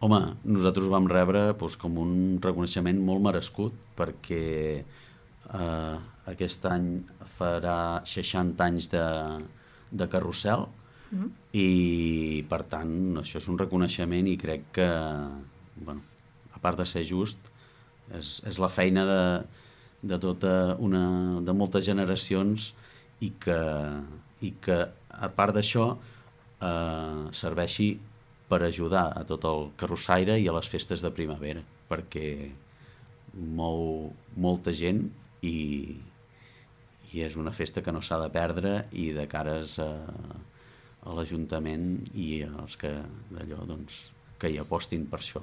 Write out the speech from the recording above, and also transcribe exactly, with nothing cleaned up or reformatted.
Home, nosaltres ho vam rebre doncs, com un reconeixement molt merescut perquè eh, aquest any farà seixanta anys de, de carrusel Mm. i per tant això és un reconeixement i crec que, bueno, a part de ser just, és, és la feina de, de, tota una, de moltes generacions i que, i que a part d'això eh, serveixi per ajudar a tot el carrossaire i a les festes de primavera, perquè mou molta gent i, i és una festa que no s'ha de perdre i de cares a, a l'Ajuntament i als que d'allò doncs, que hi apostin per això.